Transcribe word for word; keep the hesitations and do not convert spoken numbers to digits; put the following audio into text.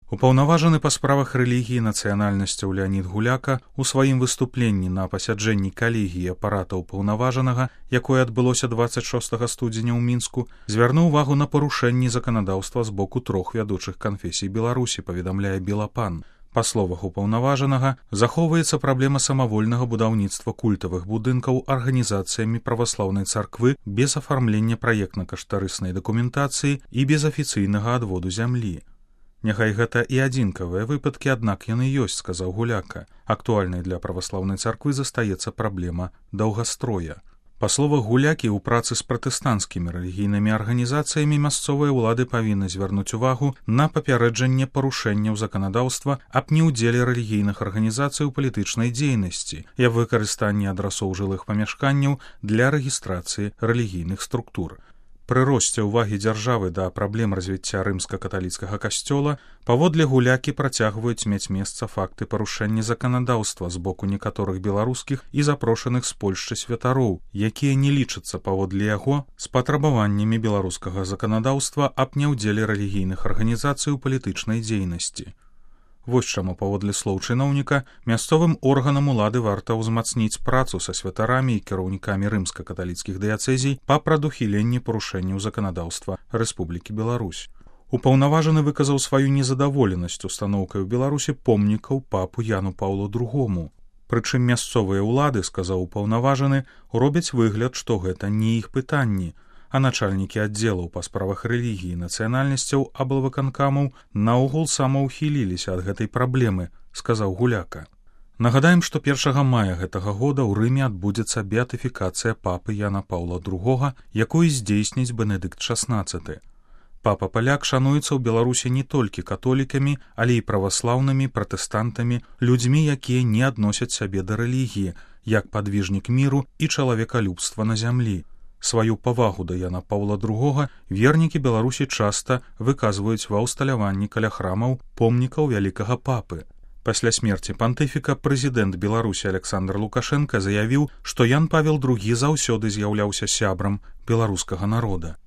Упаўнаважаны па справах рэлігіі і нацыянальнасцяў Леанід Гуляка ў сваім выступленні на пасяджэнні калегіі апарата ўпаўнаважанага, якое адбылося дваццаць шостага студзеня ў Мінску, звярнуў увагу на парушэнні заканадаўства з боку трох вядучых канфесій Беларусі, паведамляе Белапан. Па словах упаўнаважанага, захоўваецца праблема самавольнага будаўніцтва культавых будынкаў арганізацыямі праваслаўнай царквы без афармлення праектна-каштарыснай дакументацыі і без афіцыйнага адводу зямлі. Няхай гэта і адзінкавыя выпадкі, аднак яны ёсць, сказаў Гуляка. Актуальнай для праваслаўнай царквы застаецца праблема даўгастроя. Па словах Гулякі, у працы з пратэстанцкімі рэлігійнымі арганізацыямі мясцовыя ўлады павінны звярнуць увагу на папярэджанне парушэнняў заканадаўства аб неўдзеле рэлігійных арганізацый у палітычнай дзейнасці і аб выкарыстанні адрасоў жылых памяшканняў для рэгістрацыі рэлігійных структур. Пры росце ўвагі дзяржавы да праблем развіцця рымска-каталіцкага касцёла паводле Гулякі працягваюць мець месца факты парушэння заканадаўства з боку некаторых беларускіх і запрошаных з Польшчы святароў, якія не лічацца паводле яго з патрабаваннямі беларускага заканадаўства аб няўдзеле рэлігійных арганізацый у палітычнай дзейнасці. Вось чаму, паводле слоў чыноўніка, мясцовым органам улады варта ўзмацніць працу са святарамі і кіраўнікамі рымска-каталіцкіх дыяцэзій па прадухіленні парушэнняў заканадаўства Рэспублікі Беларусь. Упаўнаважаны выказаў сваю незадаволенасць устаноўкай у Беларусі помнікаў папу Яну Паўлу другому. Прычым мясцовыя ўлады, сказаў упаўнаважаны, робяць выгляд, што гэта не іх пытанні, а начальнікі аддзелаў па справах рэлігіі і нацыянальнасцяў аблвыканкамаў наогул самаўхіліліся ад гэтай праблемы, сказаў Гуляка. Нагадаем, што першага мая гэтага года ў Рыме адбудзецца беатыфікацыя папы Яна Паўла другога, якую здзейсніць Бенедыкт шаснаццаты. Папа-паляк шануецца ў Беларусі не толькі католікамі, але і праваслаўнымі, пратэстантамі, людзьмі, якія не адносяць сябе да рэлігіі, як падвіжнік міру і чалавекалюбства на зямлі. Сваю павагу да Яна Паўла другога вернікі Беларусі часта выказваюць ва ўсталяванні каля храмаў помнікаў вялікага папы. Пасля смерці пантыфіка прэзідэнт Беларусі Александр Лукашенка заявіў, што Ян Павел другі заўсёды з'яўляўся сябрам беларускага народа.